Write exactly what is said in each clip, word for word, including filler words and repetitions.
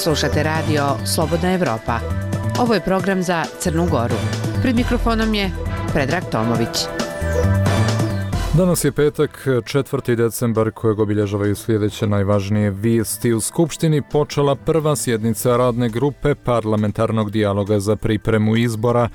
Slušate radio Slobodna Evropa. Ovo je program za Crnu Goru. Pred mikrofonom je Predrag Tomović. Danas je petak, četvrti decembar, kojeg obilježavaju sljedeće najvažnije vijesti. U Skupštini počela prva sjednica radne grupe parlamentarnog dijaloga za pripremu izbora.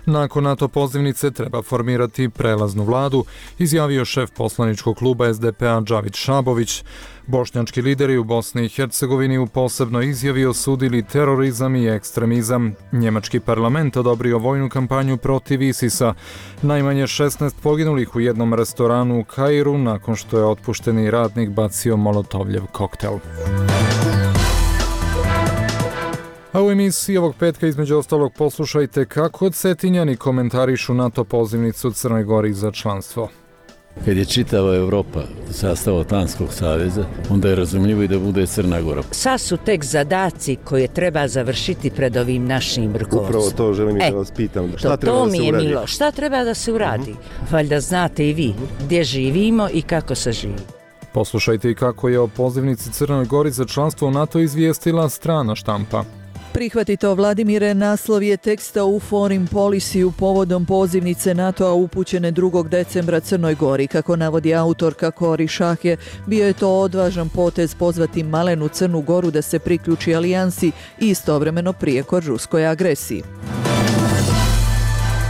Nakon NATO pozivnice treba formirati prelaznu vladu, izjavio šef poslaničkog kluba es de pe a Džavid Šabović. Bošnjački lideri u Bosni i Hercegovini u posebnoj izjavi osudili terorizam i ekstremizam. Njemački parlament odobrio vojnu kampanju protiv ISIS-a. Najmanje šesnaest poginulih u jednom restoranu u Kairu nakon što je otpušteni radnik bacio molotovljev koktel. A u emisiji ovog petka između ostalog poslušajte kako Cetinjani komentarišu NATO pozivnicu Crnoj Gori za članstvo. Kad je čitava Evropa sastav Atlantskog saveza, onda je razumljivo i da bude Crna Gora. Sad su tek zadaci koje treba završiti pred ovim našim rukovodstvom. Upravo to želim e, da vas pitam. Šta to, treba to da se mi je uradi? milo. Šta treba da se uradi? Uh-huh. Valjda znate i vi gdje živimo i kako se živi. Poslušajte i kako je o pozivnici Crnoj Gori za članstvo u NATO izvijestila strana štampa. Prihvati to, Vladimire, naslov je teksta u Foreign Policy povodom pozivnice NATO-a upućene drugog decembra Crnoj Gori. Kako navodi autorka Kori Šahje, bio je to odvažan potez pozvati malenu Crnu Goru da se priključi alijansi i istovremeno prijekor ruskoj agresiji.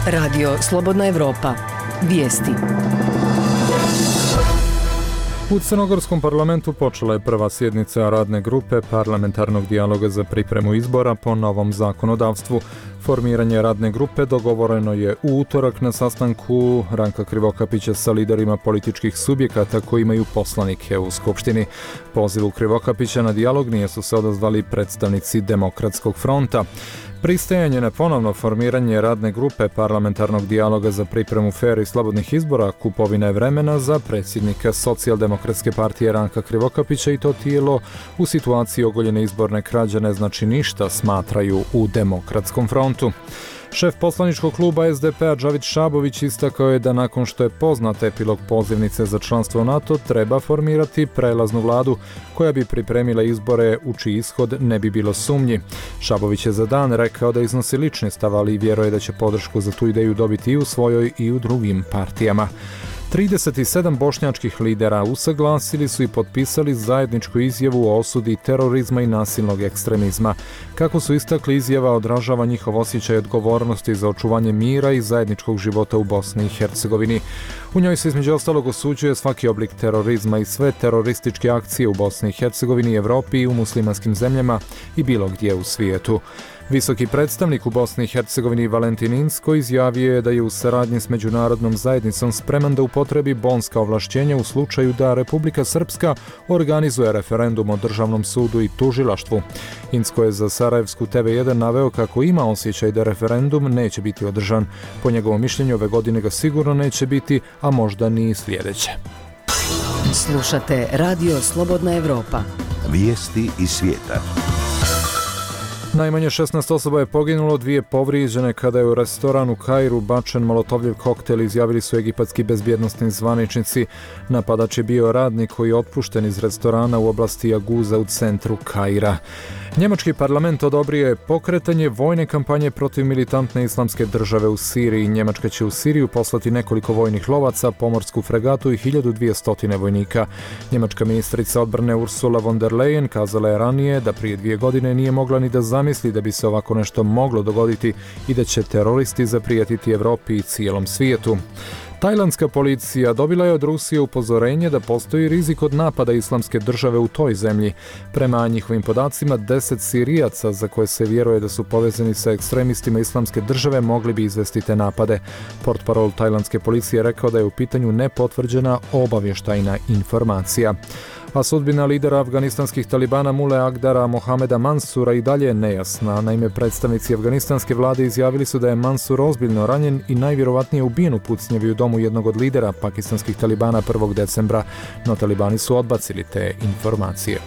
Radio Slobodna Evropa. Vijesti. U Crnogorskom parlamentu počela je prva sjednica radne grupe parlamentarnog dijaloga za pripremu izbora po novom zakonodavstvu. Formiranje radne grupe dogovoreno je u utorak na sastanku Ranka Krivokapića sa liderima političkih subjekata koji imaju poslanike u Skupštini. Pozivu Krivokapića na dijalog nije su se odazvali predstavnici Demokratskog fronta. Pristajanje na ponovno formiranje radne grupe parlamentarnog dijaloga za pripremu fer i slobodnih izbora kupovina je vremena za predsjednika Socijaldemokratske partije Ranka Krivokapića i to tijelo u situaciji ogoljene izborne krađe ne znači ništa, smatraju u Demokratskom frontu. Šef poslaničkog kluba es de pe a Džavid Šabović istakao je da nakon što je poznat epilog pozivnice za članstvo u NATO treba formirati prelaznu vladu koja bi pripremila izbore u čiji ishod ne bi bilo sumnji. Šabović je za Dan rekao da iznosi lični stav, ali i vjeruje da će podršku za tu ideju dobiti i u svojoj i u drugim partijama. trideset sedam bošnjačkih lidera usaglasili su i potpisali zajedničku izjavu o osudi terorizma i nasilnog ekstremizma. Kako su istakli, izjava odražava njihov osjećaj odgovornosti za očuvanje mira i zajedničkog života u Bosni i Hercegovini. U njoj se između ostalog osuđuje svaki oblik terorizma i sve terorističke akcije u Bosni i Hercegovini, Evropi i u muslimanskim zemljama i bilo gdje u svijetu. Visoki predstavnik u Bosni i Hercegovini Valentin Inzko izjavio je da je u saradnji s međunarodnom zajednicom spreman da upotrebi bonska ovlašćenja u slučaju da Republika Srpska organizuje referendum o državnom sudu i tužilaštvu. Inzko je za Sarajevsku te ve jedan naveo kako ima osjećaj da referendum neće biti održan. Po njegovom mišljenju ove godine ga sigurno neće biti, a možda ni sljedeće. Slušate Radio Slobodna Evropa. Vijesti iz svijeta. Najmanje šesnaest osoba je poginulo, dvije povrijeđene kada je u restoran u Kairu bačen molotovljev koktel, izjavili su egipatski bezbjednosni zvaničnici. Napadač je bio radnik koji je otpušten iz restorana u oblasti Aguza u centru Kaira. Njemački parlament odobrio je pokretanje vojne kampanje protiv militantne islamske države u Siriji. Njemačka će u Siriju poslati nekoliko vojnih lovaca, pomorsku fregatu i hiljadu dvjesto vojnika. Njemačka ministrica odbrane Ursula von der Leyen kazala je ranije da prije dvije godine nije mogla ni da zamisli da bi se ovako nešto moglo dogoditi i da će teroristi zaprijatiti Evropi i cijelom svijetu. Tajlandska policija dobila je od Rusije upozorenje da postoji rizik od napada islamske države u toj zemlji. Prema njihovim podacima, deset Sirijaca za koje se vjeruje da su povezani sa ekstremistima islamske države mogli bi izvesti te napade. Portparol tajlandske policije je rekao da je u pitanju nepotvrđena obavještajna informacija. A sudbina lidera afganistanskih talibana Mule Agdara Mohameda Mansura i dalje je nejasna. Naime, predstavnici afganistanske vlade izjavili su da je Mansur ozbiljno ranjen i najvjerovatnije ubijen u pucnjevi u domu jednog od lidera pakistanskih talibana prvog decembra, no talibani su odbacili te informacije.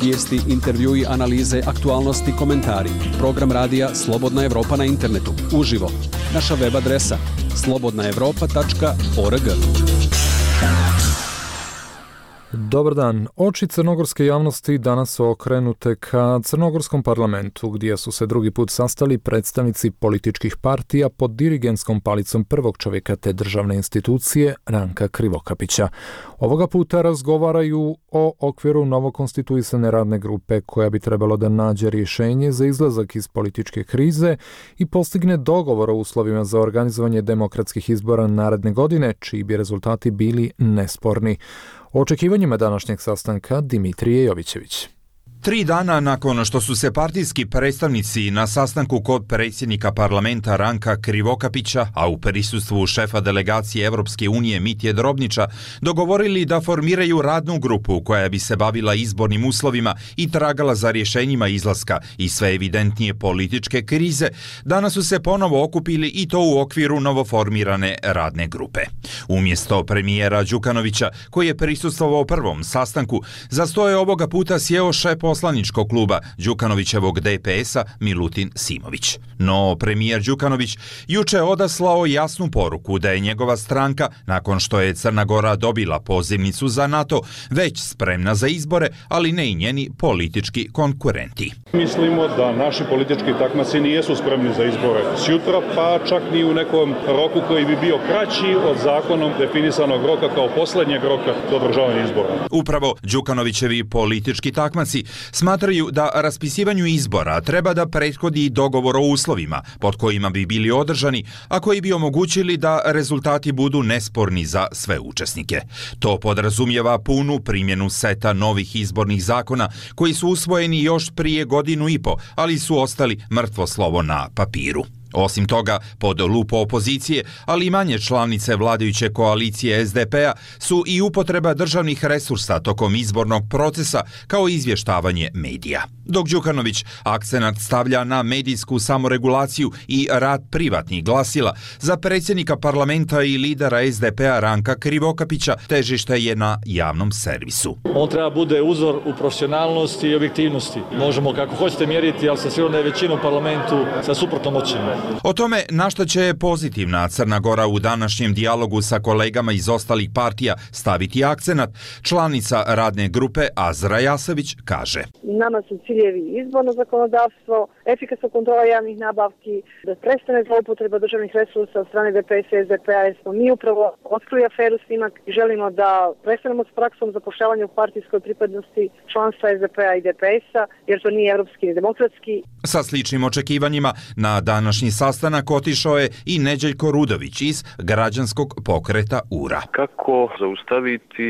Vijesti, intervjui, analize, aktualnosti, komentari. Program radija Slobodna Evropa na internetu. Uživo. Naša web adresa slobodna evropa tačka org. Dobar dan. Oči crnogorske javnosti danas su okrenute ka crnogorskom parlamentu, gdje su se drugi put sastali predstavnici političkih partija pod dirigentskom palicom prvog čovjeka te državne institucije, Ranka Krivokapića. Ovoga puta razgovaraju o okviru novokonstituisane radne grupe koja bi trebalo da nađe rješenje za izlazak iz političke krize i postigne dogovor o uslovima za organizovanje demokratskih izbora naredne godine, čiji bi rezultati bili nesporni. O očekivanjima današnjeg sastanka Dimitrije Jovićević. Tri dana nakon što su se partijski predstavnici na sastanku kod predsjednika parlamenta Ranka Krivokapića, a u prisustvu šefa delegacije Evropske unije Mitje Drobnića, dogovorili da formiraju radnu grupu koja bi se bavila izbornim uslovima i tragala za rješenjima izlaska iz sve evidentnije političke krize, danas su se ponovo okupili i to u okviru novoformirane radne grupe. Umjesto premijera Đukanovića, koji je prisustvovao prvom sastanku, za sto je ovoga puta sjeo šef poslaničkog kluba Đukanovićevog D P S-a Milutin Simović. No, premijer Đukanović juče odaslao jasnu poruku da je njegova stranka, nakon što je Crna Gora dobila pozivnicu za NATO, već spremna za izbore, ali ne i njeni politički konkurenti. Mislimo da naši politički takmaci nijesu spremni za izbore sjutra, pa čak ni u nekom roku koji bi bio kraći od zakonom definisanog roka kao posljednjeg roka do održavanja izbora. Upravo Đukanovićevi politički takmaci smatraju da raspisivanju izbora treba da prethodi dogovor o uslovima pod kojima bi bili održani, a koji bi omogućili da rezultati budu nesporni za sve učesnike. To podrazumijeva punu primjenu seta novih izbornih zakona koji su usvojeni još prije godinu i po, ali su ostali mrtvo slovo na papiru. Osim toga, pod lupu opozicije, ali i manje članice vladajuće koalicije S D P-a su i upotreba državnih resursa tokom izbornog procesa kao izvještavanje medija. Dok Đukanović akcenat stavlja na medijsku samoregulaciju i rad privatnih glasila, za predsjednika parlamenta i lidera S D P-a Ranka Krivokapića težište je na javnom servisu. On treba bude uzor u profesionalnosti i objektivnosti. Možemo kako hoćete mjeriti, ali sa sigurno da je većina u parlamentu sa suprotnom ocjenom. O tome na što će pozitivna Crna Gora u današnjem dijalogu sa kolegama iz ostalih partija staviti akcenat, članica radne grupe Azra Jasević kaže: Nama su ciljevi izborno zakonodavstvo, efikasna kontrola javnih nabavki, da prestane zloupotreba državnih resursa od strane D P S i S D P-a, jer smo mi upravo otkrili aferu Snimak i želimo da prestanemo s praksom zapošljavanja u partijskoj pripadnosti članstva S D P-a i D P S-a, jer to nije evropski ni demokratski. Sa sličnim očekivanjima na današnji sastanak otišao je i Neđeljko Rudović iz građanskog pokreta U R A. Kako zaustaviti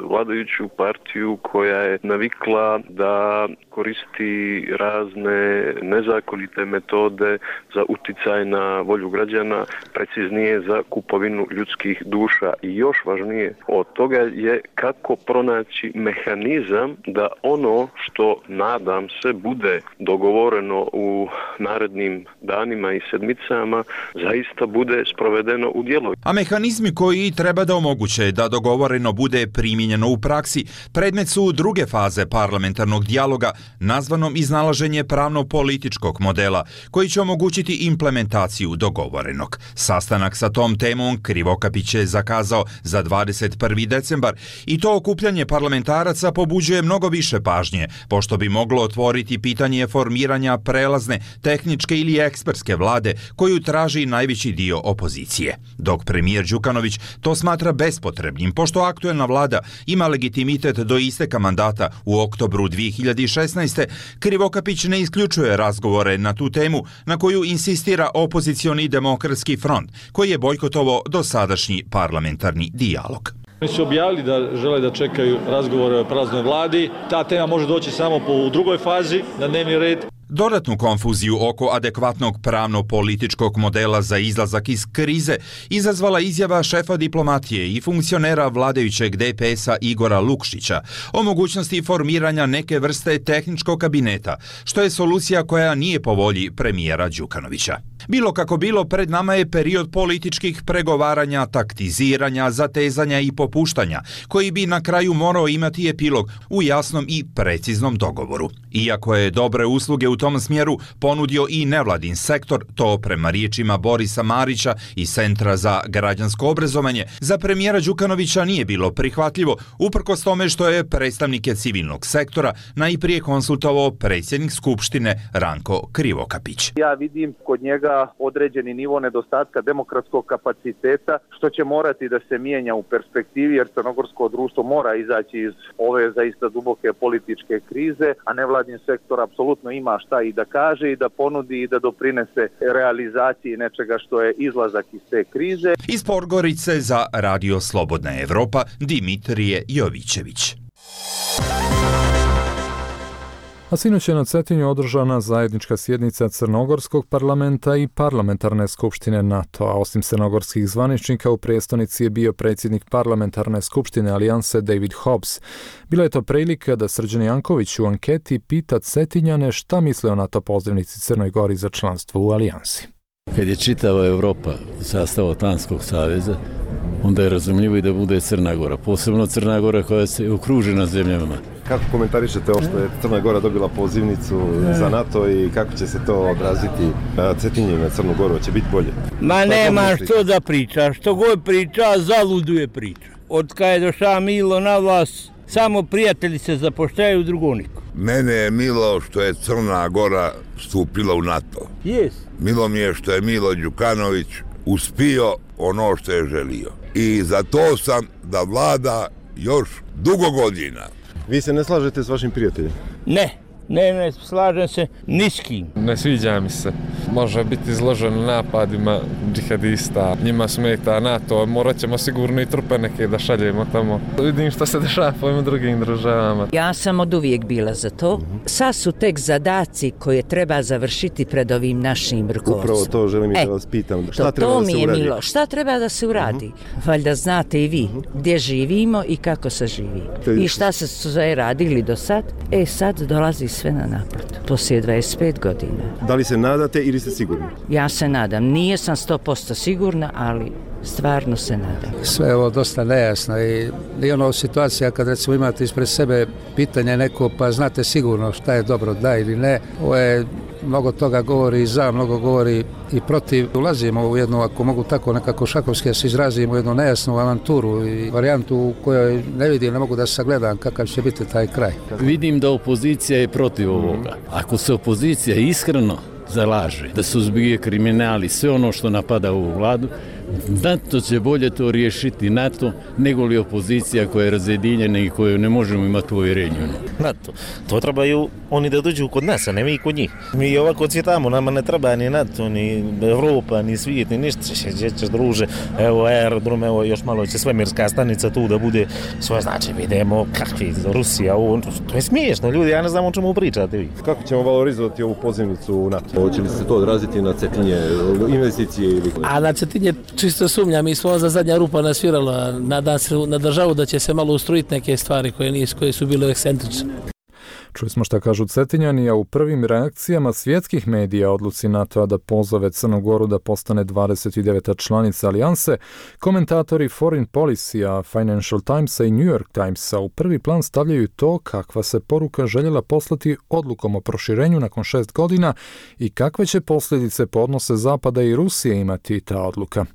vladajuću partiju koja je navikla da koristi razne nezakonite metode za uticaj na volju građana, preciznije za kupovinu ljudskih duša, i još važnije od toga je kako pronaći mehanizam da ono što, nadam se, bude dogovoreno u narednim danima i sedmicama zaista bude sprovedeno u djelo. A mehanizmi koji treba da omoguće da dogovoreno bude primijenjeno u praksi predmet su druge faze parlamentarnog dijaloga, nazvanom iznalaženje pravno-političkog modela, koji će omogućiti implementaciju dogovorenog. Sastanak sa tom temom Krivokapić je zakazao za dvadeset prvi decembar i to okupljanje parlamentaraca pobuđuje mnogo više pažnje, pošto bi moglo otvoriti pitanje formiranja prelazne, tehničke ili ekspertske vlade koju traži najveći dio opozicije. Dok premijer Đukanović to smatra bespotrebnim, pošto aktuelna vlada ima legitimitet do isteka mandata u oktobru dvije hiljade šesnaeste. Krivokapić ne isključuje razgovore na tu temu na koju insistira opozicioni demokratski front, koji je bojkotovao dosadašnji parlamentarni dijalog. Oni su objavili da žele da čekaju razgovore o prelaznoj vladi. Ta tema može doći samo po u drugoj fazi na dnevni red. Dodatnu konfuziju oko adekvatnog pravno-političkog modela za izlazak iz krize izazvala izjava šefa diplomatije i funkcionera vladajućeg D P S-a Igora Lukšića o mogućnosti formiranja neke vrste tehničkog kabineta, što je solucija koja nije po volji premijera Đukanovića. Bilo kako bilo, pred nama je period političkih pregovaranja, taktiziranja, zatezanja i popuštanja, koji bi na kraju morao imati epilog u jasnom i preciznom dogovoru. Iako je dobre usluge u tom smjeru ponudio i nevladin sektor, to prema riječima Borisa Marića iz Centra za građansko obrazovanje, za premijera Đukanovića nije bilo prihvatljivo, uprkos tome što je predstavnike civilnog sektora najprije konsultovao predsjednik Skupštine Ranko Krivokapić. Ja vidim kod njega određeni nivo nedostatka demokratskog kapaciteta, što će morati da se mijenja u perspektivi, jer crnogorsko društvo mora izaći iz ove zaista duboke političke krize, a nevladin sektor apsolutno ima šta i da kaže i da ponudi i da doprinese realizaciji nečega što je izlazak iz te krize. Iz Podgorice za Radio Slobodna Evropa, Dimitrije Jovićević. A sinoć je na Cetinju održana zajednička sjednica Crnogorskog parlamenta i parlamentarne skupštine NATO-a. Osim crnogorskih zvaničnika, u prijestolnici je bio predsjednik parlamentarne skupštine Alijanse David Hobbs. Bila je to prilika da Srđan Janković u anketi pita Cetinjane šta misle o NATO pozivnici Crnoj Gori za članstvo u Alijansi. Kad je čitava Evropa sastav Atlantskog saveza, onda je razumljivo i da bude Crna Gora, posebno Crna Gora koja se okružena zemljama. Kako komentarišete ovo što je Crna Gora dobila pozivnicu za NATO i kako će se to odraziti na Cetinje i na Crnu Goru? Će biti bolje? Ma nema što da priča, što god priča, zaluduje priča. Od kada je došao Milo na vlast, samo prijatelji se zapošljaju, drugo niko. Mene je milo što je Crna Gora stupila u NATO. Yes. Milo mi je što je Milo Đukanović uspio ono što je želio. I za to sam da vlada još dugo godina. Vi se ne slažete s vašim prijateljem? Ne, ne, ne slažem se ni s kim. Ne sviđa mi se. Može biti izložen napadima džihadista. Njima smeta NATO, morat ćemo sigurno i trupe neke da šaljemo tamo. Vidim što se dešava po ovim drugim državama. Ja sam od uvijek bila za to. Sad su tek zadaci koje treba završiti pred ovim našim rukovodstvom. Upravo to želim i da vas pitam. Šta to, treba to da se mi je uradi? milo. Šta treba da se uradi? Uh-huh. Valjda znate i vi gdje živimo i kako se živi. I šta se sve radili do sad? E sad dolazi sve na naplatu. Poslije dvadeset pet godina. Da li se nadate ili ste sigurni? Ja se nadam. Nije sam sto posto sigurna, ali stvarno se nadam. Sve je ovo dosta nejasno i, i ono situacija kad recimo imate ispred sebe pitanje neko pa znate sigurno šta je dobro, da ili ne. Ovo je mnogo toga govori i za, mnogo govori i protiv. Ulazimo u jednu, ako mogu tako nekako šakovski se izrazimo, u jednu nejasnu avanturu i varijantu u kojoj ne vidim, ne mogu da sagledam kakav će biti taj kraj. Vidim da opozicija je protiv ovoga. Ako se opozicija iskreno zalaže da suzbije kriminal i sve ono što napada ovu vladu, NATO će bolje to riješiti NATO nego li opozicija koja je razjedinjena i koju ne možemo imati povjerenju. NATO, to trebaju oni da dođu kod nas, a ne mi kod njih. Mi ovako cvjetamo, nama ne treba ni NATO, ni Evropa, ni svijet, ni ništa. Ćeš druže, evo aerodrom, evo još malo će svemirska stanica tu da bude svoje, znači vidimo kakvi Rusija, ovo, to je smiješno, ljudi, ja ne znam o čemu pričate vi. Kako ćemo valorizovati ovu pozivnicu u NATO? Hoće li se to odraziti na Cetinje, investicije ili... A na Cetinje čisto sumnja, mi smo za zadnja rupa nasvirala, nadam se na državu da će se malo ustrojiti neke stvari koje, nisu, koje su bile ekscentrične. Čuli smo šta kažu Cetinjani, a u prvim reakcijama svjetskih medija odluci NATO-a da pozove Crnu Goru da postane dvadeset deveta članica alijanse, komentatori Foreign Policy-a, Financial Timesa i New York Timesa u prvi plan stavljaju to kakva se poruka željela poslati odlukom o proširenju nakon šest godina i kakve će posljedice po odnose Zapada i Rusije imati ta odluka.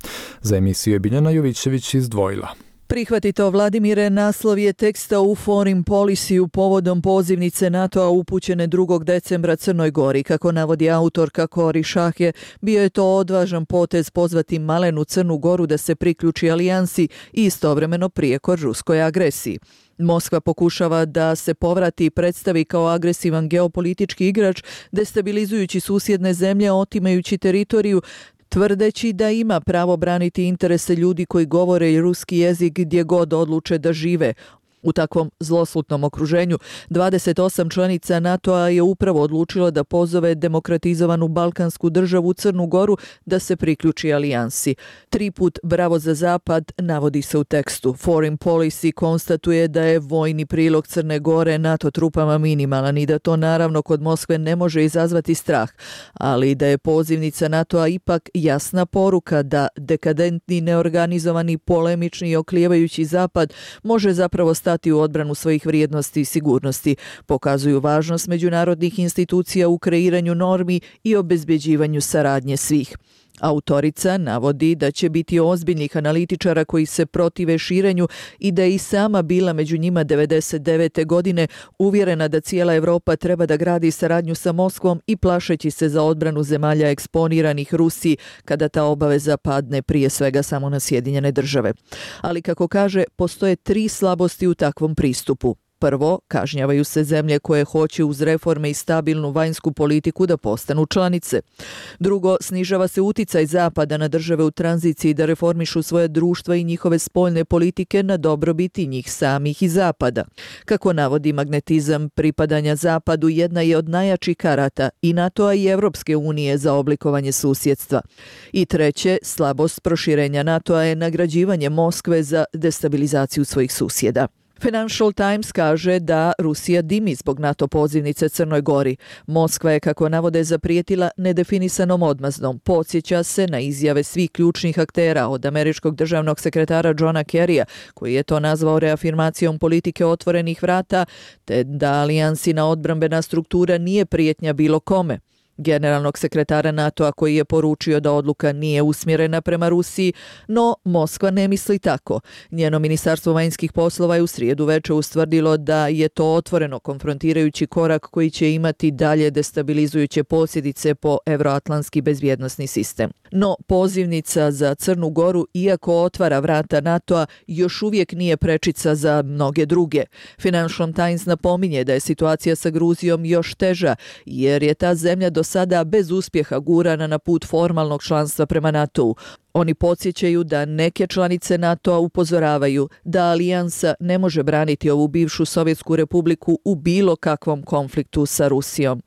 Za emisiju je Biljana Jovićević izdvojila. Prihvatito, Vladimire, naslov je teksta u Foreign Policy-u povodom pozivnice NATO-a upućene drugog decembra Crnoj Gori. Kako navodi autorka Kori Šahje, bio je to odvažan potez pozvati malenu Crnu Goru da se priključi alijansi i istovremeno prijekor ruskoj agresiji. Moskva pokušava da se povrati i predstavi kao agresivan geopolitički igrač, destabilizujući susjedne zemlje, otimajući teritoriju, tvrdeći da ima pravo braniti interese ljudi koji govore ruski jezik gdje god odluče da žive. U takvom zloslutnom okruženju dvadeset osam članica NATO-a je upravo odlučilo da pozove demokratizovanu balkansku državu Crnu Goru da se priključi alijansi. Triput bravo za zapad navodi se u tekstu. Foreign Policy konstatuje da je vojni prilog Crne Gore NATO trupama minimalan i da to naravno kod Moskve ne može izazvati strah, ali da je pozivnica NATO-a ipak jasna poruka da dekadentni, neorganizovani, polemični i oklijevajući zapad može zapravo stati u odbranu svojih vrijednosti i sigurnosti, pokazuju važnost međunarodnih institucija u kreiranju normi i obezbeđivanju saradnje svih. Autorica navodi da će biti ozbiljnih analitičara koji se protive širenju i da je i sama bila među njima devedeset devete godine uvjerena da cijela Evropa treba da gradi saradnju sa Moskvom i plašeći se za odbranu zemalja eksponiranih Rusiji kada ta obaveza padne prije svega samo na Sjedinjene države. Ali kako kaže, postoje tri slabosti u takvom pristupu. Prvo, kažnjavaju se zemlje koje hoće uz reforme i stabilnu vanjsku politiku da postanu članice. Drugo, snižava se uticaj Zapada na države u tranziciji da reformišu svoje društva i njihove spoljne politike na dobrobiti njih samih i Zapada. Kako navodi magnetizam pripadanja Zapadu jedna je od najjačih karata i NATO-a i Evropske unije za oblikovanje susjedstva. I treće, slabost proširenja NATO-a je nagrađivanje Moskve za destabilizaciju svojih susjeda. Financial Times kaže da Rusija dimi zbog NATO pozivnice Crnoj Gori. Moskva je, kako navode, zaprijetila nedefinisanom odmazdom. Podsjeća se na izjave svih ključnih aktera, od američkog državnog sekretara Johna Kerrya, koji je to nazvao reafirmacijom politike otvorenih vrata, te da alijansina odbrambena struktura nije prijetnja bilo kome. Generalnog sekretara NATO-a koji je poručio da odluka nije usmjerena prema Rusiji, no Moskva ne misli tako. Njeno ministarstvo vanjskih poslova je u srijedu veče ustvrdilo da je to otvoreno konfrontirajući korak koji će imati dalje destabilizujuće posljedice po evroatlantski bezbjednosni sistem. No pozivnica za Crnu Goru, iako otvara vrata NATO-a, još uvijek nije prečica za mnoge druge. Financial Times napominje da je situacija sa Gruzijom još teža, jer je ta zemlja do sada bez uspjeha gurana na put formalnog članstva prema NATO-u. Oni podsjećaju da neke članice NATO-a upozoravaju da alijansa ne može braniti ovu bivšu Sovjetsku republiku u bilo kakvom konfliktu sa Rusijom.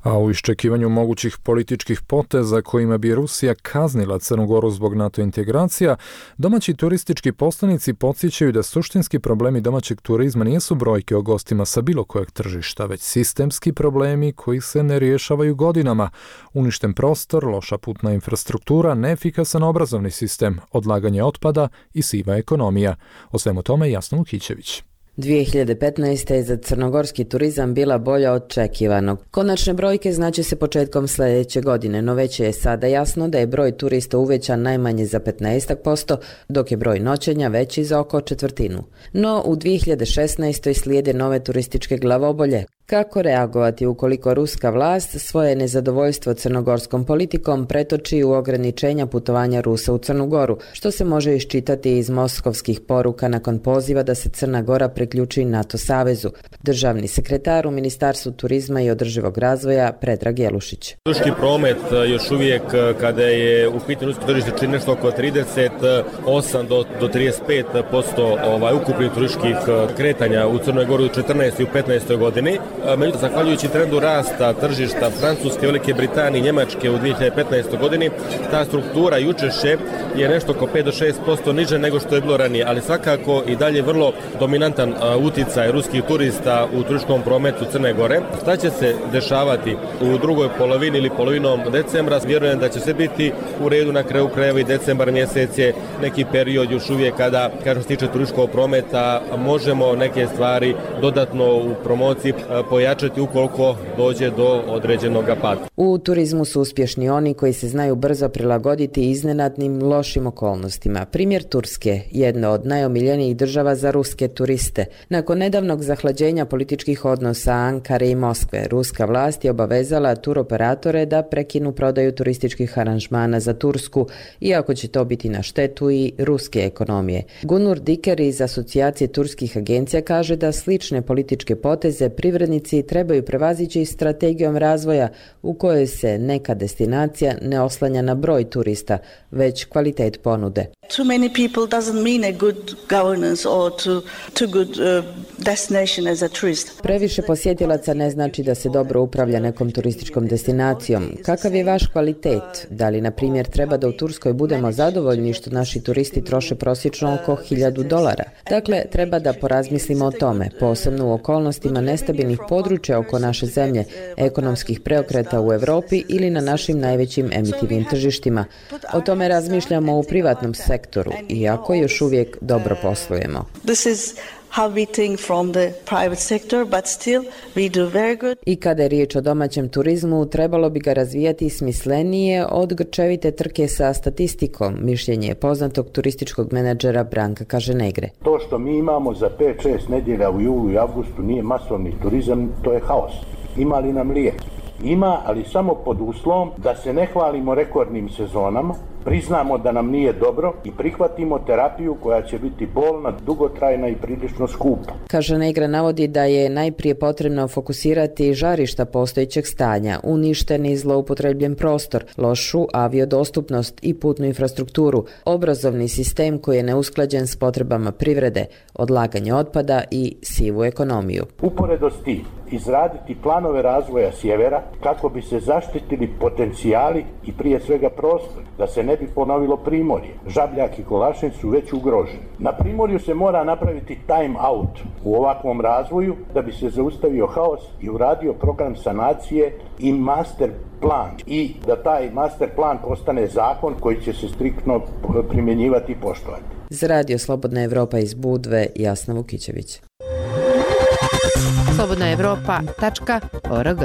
A u iščekivanju mogućih političkih poteza kojima bi Rusija kaznila Crnu Goru zbog NATO integracija, domaći turistički poslanici podsjećaju da suštinski problemi domaćeg turizma nisu brojke o gostima sa bilo kojeg tržišta, već sistemski problemi koji se ne rješavaju godinama. Uništen prostor, loša putna infrastruktura, neefikasan obrazovni sistem, odlaganje otpada i siva ekonomija. O svemu tome Jasna Lukićević. dvije hiljade petnaeste. je za crnogorski turizam bila bolja od očekivanog. Konačne brojke znače se početkom sljedeće godine, no već je sada jasno da je broj turista uvećan najmanje za petnaest posto, dok je broj noćenja veći za oko četvrtinu. No u dvije hiljade šesnaestoj. slijede nove turističke glavobolje. Kako reagovati ukoliko ruska vlast svoje nezadovoljstvo crnogorskom politikom pretoči u ograničenja putovanja Rusa u Crnu Goru, što se može iščitati iz moskovskih poruka nakon poziva da se Crna Gora priključi NATO savezu. Državni sekretar u Ministarstvu turizma i održivog razvoja Predrag Jelušić. Turistički promet još uvijek kada je u pitanju rusko tržište čini nešto oko trideset osam do trideset pet posto ovaj, ukupnih turističkih kretanja u Crnoj Gori u četrnaestoj i u petnaestoj godini. Međutim, zahvaljujući trendu rasta tržišta Francuske, Velike Britanije i Njemačke u dvije hiljade petnaestoj. godini, ta struktura i učešće je nešto oko pet do šest posto niže nego što je bilo ranije, ali svakako i dalje vrlo dominantan uticaj ruskih turista u turističkom prometu Crne Gore. Šta će se dešavati u drugoj polovini ili polovinom decembra? Vjerujem da će se biti u redu, na kraju krajeva i decembar mjesec je neki period još uvijek kada, kada se tiče turističkog prometa, možemo neke stvari dodatno u promociji pojačati ukoliko dođe do određenog pada. U turizmu su uspješni oni koji se znaju brzo prilagoditi iznenadnim lošim okolnostima. Primjer Turske, jedna od najomiljenijih država za ruske turiste. Nakon nedavnog zahlađenja političkih odnosa Ankare i Moskve, ruska vlast je obavezala turoperatore da prekinu prodaju turističkih aranžmana za Tursku, iako će to biti na štetu i ruske ekonomije. Gunur Diker iz Asocijacije turskih agencija kaže da slične političke poteze privrednici trebaju prevazići strategijom razvoja u kojoj se neka destinacija ne oslanja na broj turista, već kvalitet ponude. Too many people doesn't mean a good governance or to, too good uh, destination as a tourist. Previše posjetilaca ne znači da se dobro upravlja nekom turističkom destinacijom. Kakav je vaš kvalitet? Da li, na primjer, treba da u Turskoj budemo zadovoljni što naši turisti troše prosječno oko hiljadu dolara? Dakle, treba da porazmislimo o tome, posebno u okolnostima nestabilnih područja oko naše zemlje, ekonomskih preokreta u Europi ili na našim najvećim emitivnim tržištima. O tome razmišljamo u privatnom sektoru, iako još uvijek dobro poslujemo. This is how we think from the private sector, but still we do very good. I kada je riječ o domaćem turizmu, trebalo bi ga razvijati smislenije od grčevite trke sa statistikom, mišljenje poznatog turističkog menadžera Branka Kaženegre. To što mi imamo za pet šest nedjelja u julu i avgustu nije masovni turizam, to je haos. Ima li nam lijek? Ima, ali samo pod uslovom da se ne hvalimo rekordnim sezonama, priznamo da nam nije dobro i prihvatimo terapiju koja će biti bolna, dugotrajna i prilično skupa. Kaženegre navodi da je najprije potrebno fokusirati žarišta postojećeg stanja, uništen i zloupotrebljen prostor, lošu aviodostupnost i putnu infrastrukturu, obrazovni sistem koji je neusklađen s potrebama privrede, odlaganje otpada i sivu ekonomiju. Uporedo s tim, izraditi planove razvoja sjevera kako bi se zaštitili potencijali i prije svega prostor, da se ne bi ponovilo Primorje. Žabljak i Kolašin su već ugroženi. Na Primorju se mora napraviti time out u ovakvom razvoju da bi se zaustavio haos i uradio program sanacije i master plan i da taj master plan postane zakon koji će se striktno primjenjivati i poštovati. Za Radio Slobodna Evropa iz Budve, Jasna Vukićević. slobodna evropa tačka org.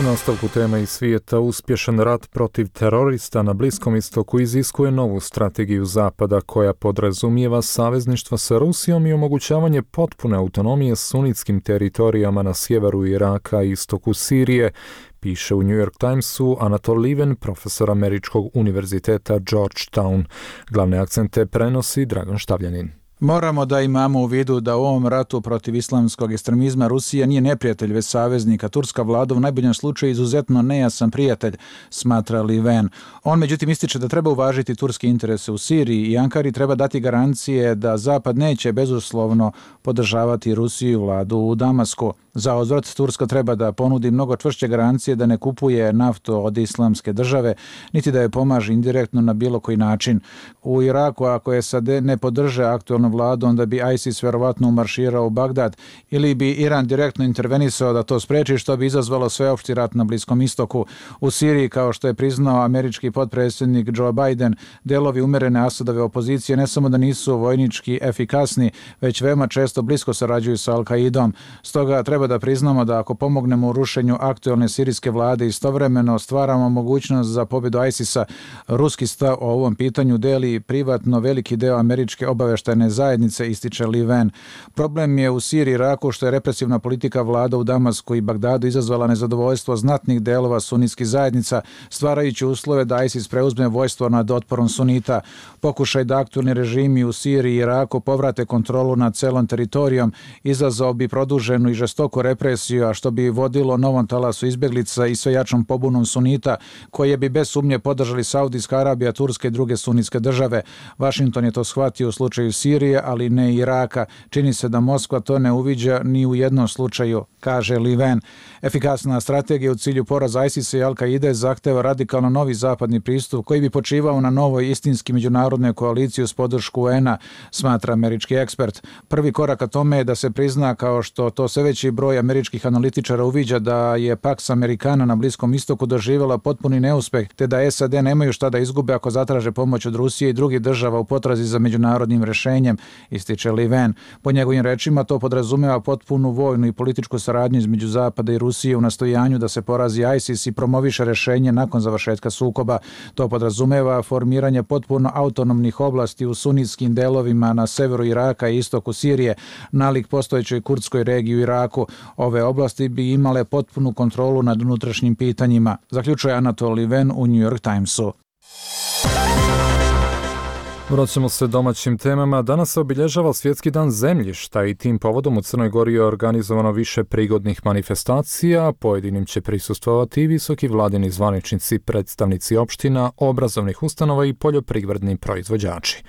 U nastavku tema iz svijeta, uspješan rat protiv terorista na Bliskom istoku iziskuje novu strategiju Zapada koja podrazumijeva savezništvo sa Rusijom i omogućavanje potpune autonomije sunitskim teritorijama na sjeveru Iraka i istoku Sirije, piše u New York Timesu Anatol Lieven, profesor Američkog univerziteta Georgetown. Glavne akcente prenosi Dragan Štavljanin. Moramo da imamo u vidu da u ovom ratu protiv islamskog ekstremizma Rusija nije neprijatelj, već saveznik, a turska vlada u najboljem slučaju izuzetno nejasan prijatelj, smatra Lieven. On međutim ističe da treba uvažiti turske interese u Siriji i Ankari treba dati garancije da Zapad neće bezuslovno podržavati Rusiju i vladu u Damasku. Za uzvrat Turska treba da ponudi mnogo čvršće garancije da ne kupuje naftu od islamske države, niti da je pomaže indirektno na bilo koji način. U Iraku, ako S A D ne podrže aktualnu vladu, onda bi ISIS verovatno umarširao u Bagdad ili bi Iran direktno intervenisao da to spreči, što bi izazvalo sveopšti rat na Bliskom istoku. U Siriji, kao što je priznao američki potpredsjednik Joe Biden, delovi umerene Asadove opozicije ne samo da nisu vojnički efikasni, već veoma često blisko sarađuju sa Al-Kaidom. Stoga treba da priznamo da ako pomognemo u rušenju aktualne sirijske vlade, istovremeno stvaramo mogućnost za pobjedu ISIS-a. Ruski stav o ovom pitanju deli privatno veliki deo američke obaveštajne zajednice, ističe Lieven. Problem je u Siriji i Iraku što je represivna politika vlada u Damasku i Bagdadu izazvala nezadovoljstvo znatnih delova sunitskih zajednica, stvarajući uslove da ISIS preuzme vojstvo nad otporom sunita. Pokušaj da aktualni režimi u Siriji i Iraku povrate kontrolu nad celom teritorijom izazvao bi produženu i žestoku represiju, a što bi vodilo novom talasu izbjeglica i sve jačom pobunom sunita, koje bi bez sumnje podržali Saudijska Arabija, Turska i druge sunitske države. Washington je to shvatio u slučaju Sirije, ali ne Iraka. Čini se da Moskva to ne uviđa ni u jednom slučaju, kaže Lieven. Efikasna strategija u cilju poraza ISIS-a i Al-Kaide zahteva radikalno novi zapadni pristup koji bi počivao na novoj istinski međunarodnoj koaliciji uz podršku U N-a, smatra američki ekspert. Prvi korak ka tome je da se prizna, kao što to sve veći broj američkih analitičara uviđa, da je Pax Americana na Bliskom istoku doživjela potpuni neuspeh, te da S A D nemaju šta da izgube ako zatraže pomoć od Rusije i drugih država u potrazi za međunarodnim rješenjem, ističe Lieven. Po njegovim rečima to podrazumeva potpunu vojnu i političku saradnju između Zapada i Rusije u nastojanju da se porazi ISIS i promoviše rješenje nakon završetka sukoba. To podrazumeva formiranje potpuno autonomnih oblasti u sunitskim delovima na severu Iraka i istoku Sirije, nalik postojećoj kurdskoj regiji u Iraku. Ove oblasti bi imale potpunu kontrolu nad unutrašnjim pitanjima, zaključuje Anatol Lieven u New York Timesu. Vraćamo se domaćim temama. Danas se obilježava Svjetski dan zemljišta i tim povodom u Crnoj Gori je organizovano više prigodnih manifestacija. Pojedinim će prisustvovati i visoki vladini zvaničnici, predstavnici opština, obrazovnih ustanova i poljoprivredni proizvođači.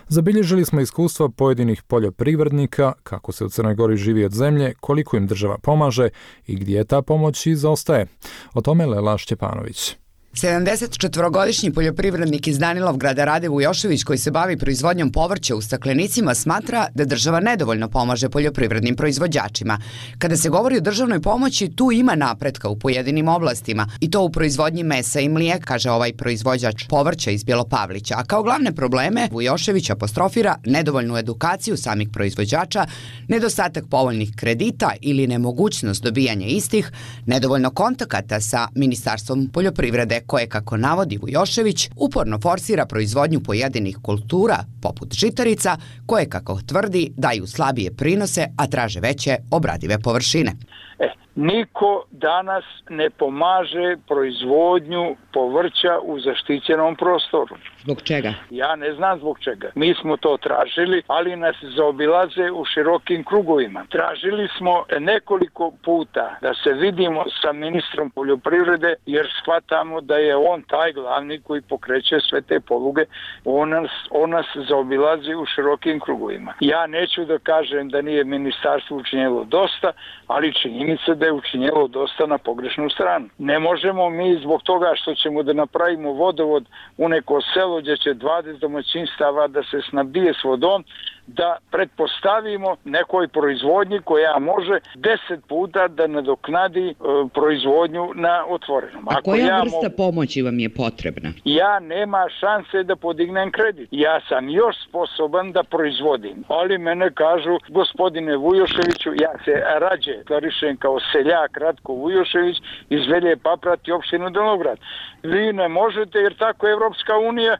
Zabilježili smo iskustva pojedinih poljoprivrednika, kako se u Crnoj Gori živi od zemlje, koliko im država pomaže i gdje ta pomoć izostaje. O tome Lela Šćepanović. sedamdesetčetvorogodišnji poljoprivrednik iz Danilovgrada Rade Vujošević, koji se bavi proizvodnjom povrća u staklenicima, smatra da država nedovoljno pomaže poljoprivrednim proizvođačima. Kada se govori o državnoj pomoći, tu ima napretka u pojedinim oblastima, i to u proizvodnji mesa i mlijeka, kaže ovaj proizvođač povrća iz Bjelopavlića. A kao glavne probleme Vujošević apostrofira nedovoljnu edukaciju samih proizvođača, nedostatak povoljnih kredita ili nemogućnost dobijanja istih, nedovoljno kontakata sa Ministarstvom poljoprivrede, koje, kako navodi Vujošević, uporno forsira proizvodnju pojedinih kultura, poput žitarica, koje, kako tvrdi, daju slabije prinose, a traže veće obradive površine. E, niko danas ne pomaže proizvodnju povrća u zaštićenom prostoru. Zbog čega? Ja ne znam zbog čega. Mi smo to tražili, ali nas zaobilaze u širokim krugovima. Tražili smo nekoliko puta da se vidimo sa ministrom poljoprivrede, jer shvatamo da je on taj glavni koji pokreće sve te poluge. On nas, on nas zaobilazi u širokim krugovima. Ja neću da kažem da nije ministarstvo učinjelo dosta, ali činjenica da je učinjelo dosta na pogrešnu stranu. Ne možemo mi zbog toga što ćemo da napravimo vodovod u neko selo gdje će dvadeset domaćinstava da se snabdije s vodom, da pretpostavimo nekoj proizvodnji koja može deset puta da nadoknadi e, proizvodnju na otvorenom. A koja ja vrsta mo... pomoći vam je potrebna? Ja nema šanse da podignem kredit. Ja sam još sposoban da proizvodim. Ali mene kažu, gospodine Vujoševiću, ja se rađe klarišem kao seljak Ratko Vujošević iz Velje Paprati, opštinu Danilovgrad. Vi ne možete, jer tako Evropska unija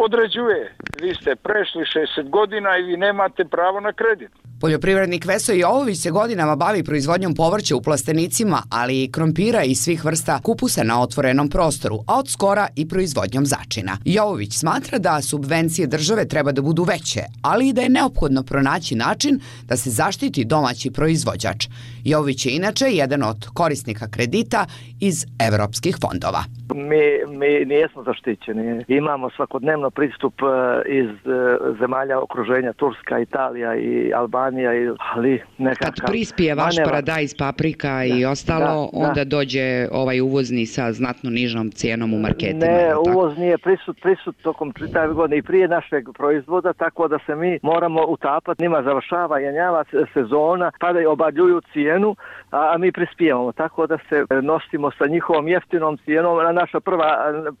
određuje. Vi ste prešli šezdeset godina i vi nemate pravo na kredit. Poljoprivrednik Veso Jovović se godinama bavi proizvodnjom povrća u plastenicima, ali i krompira i svih vrsta kupusa na otvorenom prostoru, a od skora i proizvodnjom začina. Jovović smatra da subvencije države treba da budu veće, ali i da je neophodno pronaći način da se zaštiti domaći proizvođač. Jovović je inače jedan od korisnika kredita iz evropskih fondova. Mi, mi nijesmo zaštićeni. Imamo svakodnevno pristup iz zemalja okruženja, Turska, Italija i Albanija, ali nekakav... Kad prispije vaš manevar, paradajz, paprika da, i ostalo, da, onda da. dođe ovaj uvozni sa znatno nižom cijenom u marketima. Ne, uvoz nije prisut, prisut tokom čitave godine i prije našeg proizvoda, tako da se mi moramo utapati. Njima završava jenjava sezona, tada i obaljuju cijenu, a mi prispijemo. Tako da se nosimo sa njihovom jeftinom cijenom, a naša prva,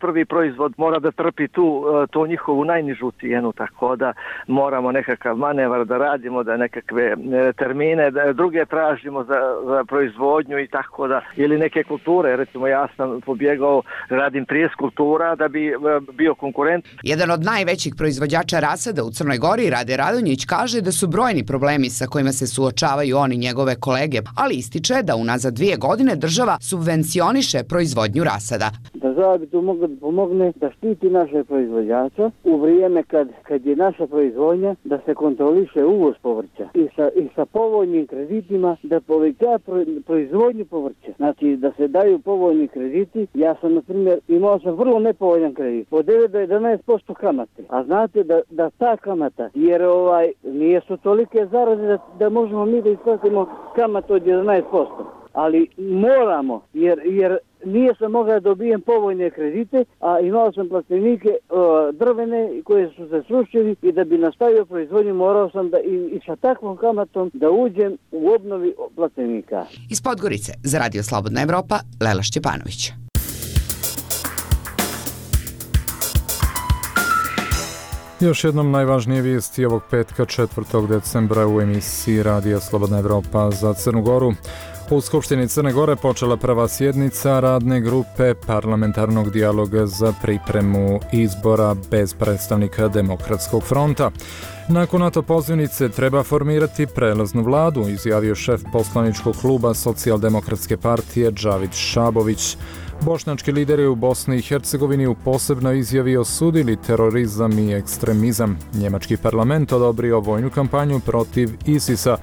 prvi proizvod mora da trpi tu, tu njihovu najnižu cijenu, tako da moramo nekakav manevar da radimo, da nekakve termine, da druge tražimo za, za proizvodnju i tako da, ili neke kulture, recimo ja sam pobjegao, radim trideset kultura da bi bio konkurent. Jedan od najvećih proizvođača rasada u Crnoj Gori, Rade Radonjić, kaže da su brojni problemi sa kojima se suočavaju oni njegove kolege, ali ističe da unazad dvije godine država subvencioniše proizvodnju rasada. Država bi tu mogla da pomogne da štiti naše proizvođača u vrijeme kad, kad je naša proizvodnja, da se kontroliše uvoz povrća i sa, i sa povoljnim kreditima da poveća pro, proizvodnju povrća. Znači da se daju povoljni krediti. Ja sam, na primjer, imao sam vrlo nepovoljan kredit, od devet do jedanaest posto kamate. A znate da, da ta kamata, jer ovaj nije su tolike zarade da, da možemo mi da isplatimo kamatu od jedanaest posto. Ali moramo, jer, jer nije sam mogao da dobijem povoljne kredite, a imao sam plastenike uh, drvene koje su se srušili i da bi nastavio proizvodnju morao sam da i, i sa takvom kamatom da uđem u obnovi plastenika. Iz Podgorice za Radio Slobodna Evropa, Lela Šćepanović. Još jednom najvažnije vijesti ovog petka četvrtog decembra u emisiji Radija Slobodna Evropa za Crnu Goru. U Skupštini Crne Gore počela prva sjednica radne grupe parlamentarnog dijaloga za pripremu izbora bez predstavnika Demokratskog fronta. Nakon NATO pozivnice treba formirati prelaznu vladu, izjavio šef poslaničkog kluba Socijaldemokratske partije Džavid Šabović. Bošnjački lideri u Bosni i Hercegovini u posebnoj izjavi osudili terorizam i ekstremizam. Njemački parlament odobrio vojnu kampanju protiv ISIS-a.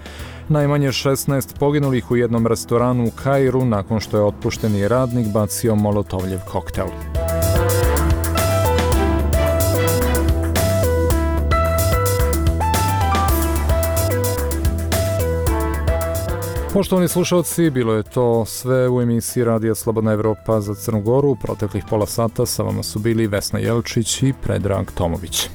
Najmanje šesnaest poginulih u jednom restoranu u Kairu nakon što je otpušteni radnik bacio molotovljev koktel. Poštovani slušalci, bilo je to sve u emisiji Radija Slobodna Evropa za Crnu Goru. U proteklih pola sata sa vama su bili Vesna Jelčić i Predrag Tomović.